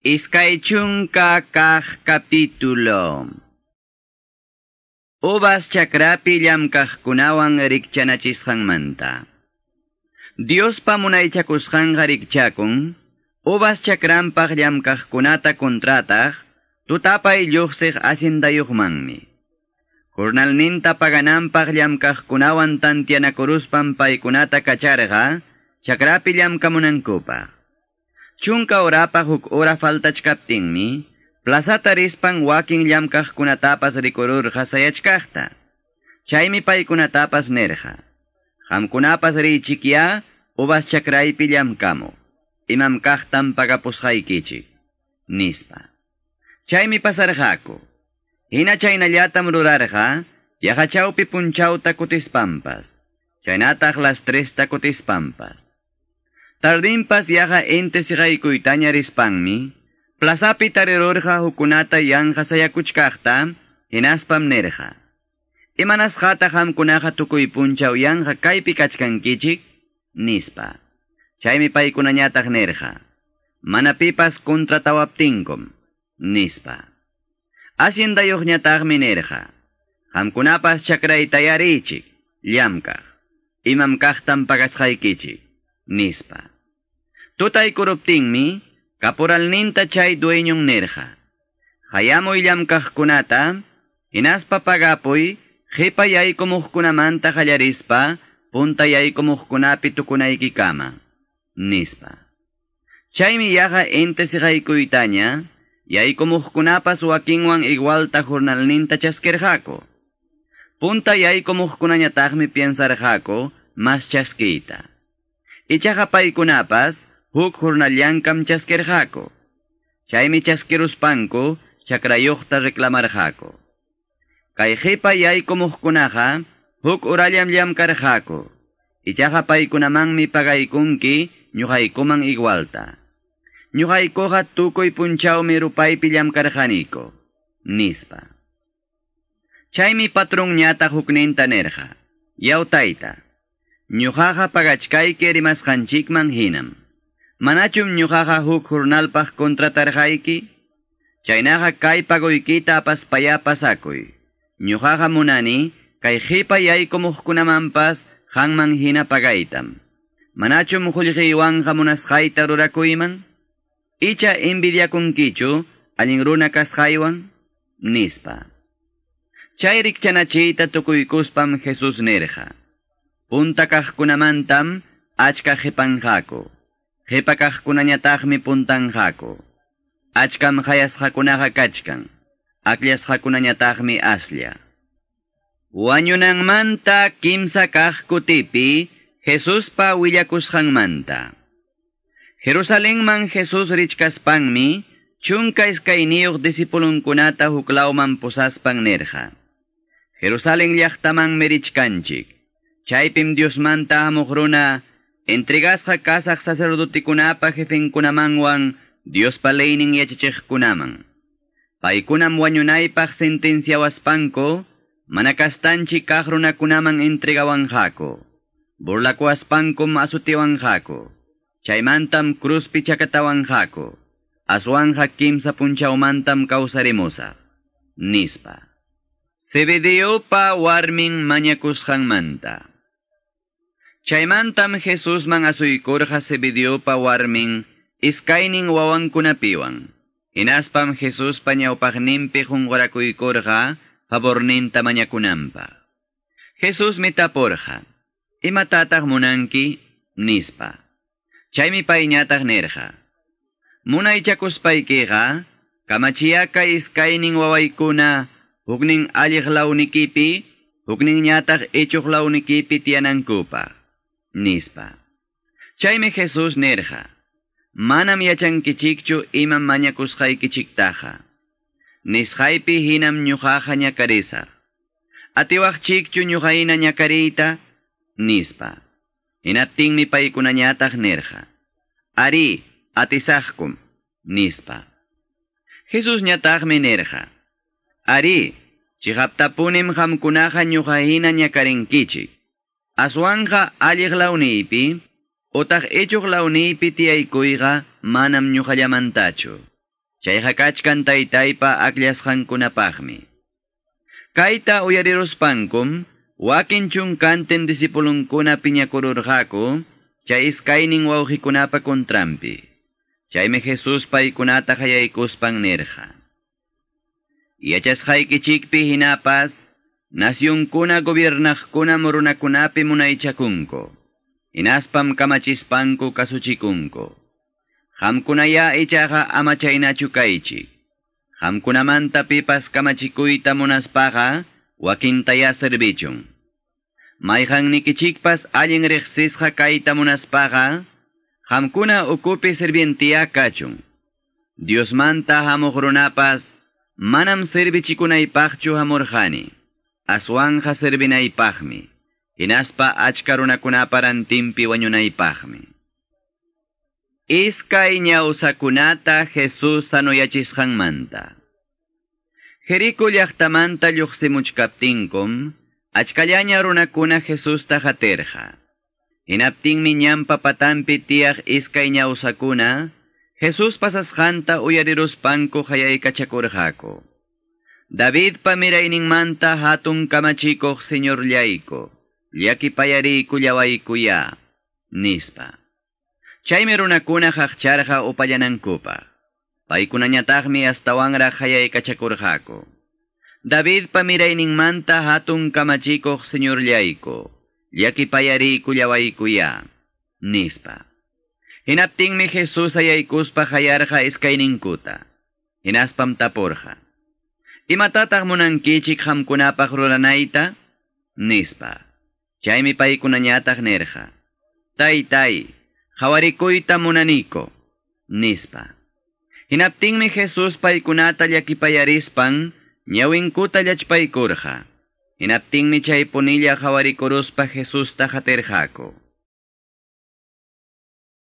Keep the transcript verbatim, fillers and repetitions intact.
Iskay chunka kaq capítulo. Uvas chakrapi llamkaqkunawan rikchanachisqanmanta. Diospa munaychakusqanqa rikchakun, uvas chakranpaq llamkaqkunata kontrataq, tutapay lluqsiq haciendayuqmanmi. Jornalninta pagananpaq llamkaqkunawan tantianakuruspan paykunata kacharqa, chakrapi llamkamunankupaq. Chunka orapa huk ora faltachkaptinmi, plazata rispan wakin llamkaqkunatapas rikururqa sayachkaqta. Chaymi paykunatapas nerqa. Qamkunapas riychikya uvas chakraypi llamkamuq. Imam kaqtam pagapusqaykichik, nispa. Chaymi pasarqaku. Hina chaynallatam rurarqa, yaqa chawpi punchawta kutispanpas. Chaynataq las tresta kutispanpas. Tardinpas yaqa inti siqaykuytaña rispanmi, plazapi tarirurqa hukunata yanqa sayakuchkaqta, hinaspam nirqa. Imanasqataq qamkunaqa tukuy punchaw yanqa kaypi kachkankichik? Nispa. Chaymi paykunañataq nirqa. Mana pipas kontratawaptinkum, nispa. Haciendayuqñataqmi nirqa. Qamkunapas chakraytaya riychik, llamkaq. Imam kaqtam pagasqaykichik, nispa. Tutaykuruptinmi, caporalninta chay dueñon nirqa. Hayamuy llamkaqkunata, hinaspa pagapuy, qipa yaykumuqkunamanta qallarispa, punta yaykumuqkunapi tukunaykikama, nispa. Chaymi yaqa inti siqaykuytaña, yaykumuqkunapas wakinwan igualta jornalninta chaskirqaku. Punta yaykumuqkunañataqmi piensarqaku mas chaskiyta. Ichaqa paykunapas huk jornallankam chaskirqaku. Chaymi chaskiruspanku chakrayuqta reclamarqaku. Kay qipa yaykumuqkunaqa huk urallam llamkarqaku. Ichaqa paykunamanmi pagaykunki ñuqaykuman igualta. Ñuqaykuqa tukuy punchawmi rupaypi llamkarqaniku, nispa. Chaymi patronñataq hukninta nirqa. Yaw tayta, ñuqaqa pagachkayki rimasqanchikman hinam. Manachum ñuqaqa huk jornalpaq contratarqayki? Chaynaqa kay pagoykita apaspaya pasakuy. Ñuqaqa munani kay qipa yaykumuqkunamanpas qanman hina pagaytam. Manachum qullqiywanqa munasqayta rurakuyman? Icha envidiakunkichu allin runa kasqaywan? Nispa. Chay rikchanachiyta tukuykuspam Jesús nirqa. Punta kaqkunamantam achka qipanqaku. Qipa kaqkunañataqmi puntanqaku. Achkam qayasqakunaqa kachkan. Akllasqakunañataqmi aslla. Wañunanmanta kimsa kaq kutipi Jesuspa willakusqanmanta. Jerusalenman Jesús richkaspanmi chunka iskayniyuq discipulunkunata huklawman pusaspan nirqa. Jerusalén llaqtamanmi richkanchik. Chaypim Diosmanta hamuq runa entregasqa kasaq sacerdotikunapa jefenkunamanwan Diospa leynin yachachiqkunaman. Paykunam wañunaypaq sentenciawaspanku, mana kastanchik kaq runakunaman entregawanqaku. Burlakuwaspankum asutiwanqaku. Chaymantam cruzpi chakatawanqaku. Aswanja kimsa punchawmantam kawsarimusaq, nispa. Zebedeopa warmin mañakusqanmanta. Chaymantam Jesusman asuykurqa Zebedeopa warmin iskaynin wawankunapiwan. Hinaspam Jesuspa ñawpaqninpi qunqurakuykurqa favorninta mañakunanpaq. Jesusmi tapurqa, imatataq munanki? Nispa. Chaymi payñataq nirqa. Munaychakuspaykiqa, kamachiyaka iskaynin wawaykuna huknin alliq lawnikipi, hukninñataq ichuq lawnikipi tiyanankupaq, nispa. Chaymi Jesús nirqa. Manam yachankichikchu imam mañakusqaykichiktaqa. Nisqaypi hinam ñuqaqa ñakarisaq. Atiwaqchikchu ñuqayna ñakariyta? Nispa. Hinaptinmi paykunañataq nirqa. Ari, atisaqkum, nispa. Jesús ñataqmi nirqa. Ari, chiqaptapunim qamkunaqa ñuqahina ñakarinkichik. Aswanja alliq lawniypi, utaq ichuq lawniypi tiyaykuyqa manam ñuqallamantachu. Chayqa kachkan taytaypa akllasqankunapaqmi. Kayta uyariruspankum, wakin chunkantin disipulunkuna piñakururqaku, chay iskaynin wawqikunapa kontrampi. Chaymi Jesus paykunata qayaykuspan nirqa. Yachasqaykichikpi hinapas, nacionkuna gobiernaqkuna runakunapi munaychakunku. Hinaspam kamachispanku kasuchikunku. Qamkunaya ichaqa ama chaynachu kaychik. Qamkunamanta pipas kamachikuyta munaspaqa, wakintaya servichun. Mayqannikichikpas allin riqsisqa kayta munaspaqa, qamkuna ukupi sirvientiya kachun. Diosmanta hamuq runapas, manam servichikunaypaqchu hamurqani, aswanqa servinaypaqmi, hinaspa achka runakunapa rantinpi wañunaypaqmi. Iskay ñawsakunata Jesús sanoyachisqanmanta. Jericó llaqtamanta lluqsimuchkaptinkum, achkallaña runakuna Jesusta qatirqa. Hinaptinmi ñanpa patanpi tiyaq iskay ñawsakuna, Jesús pasasqanta uyariruspanku qayaykachakurqaku. Davidpa mirayninmanta hatun kamachikuq Señorllayku, llakipayariykullawaykuya, nispa. Chaymi runakuna qaqcharqa upallanankupaq. Paykunañataqmi astawanraq qayaykachakurqaku. Davidpa mirayninmanta hatun kamachikuq Señorllayku, llakipayariykullawaykuya, nispa. Hinaptinmi Jesús ayaykuspa qayarqa iskayninkuta. Hinaspam tapurqa. Imatataq munankichik qamkunapaq ruranayta? Nispa. Chaymi paykunañataq nirqa. Taytay, qawarikuyta munaniko, nispa. Hinaptinmi Jesús paykunata llakipayarispan, ñawinkuta llachpaykurqa. Hinaptinmi chaypunilla qawarikuruspa Jesusta qatirqaku.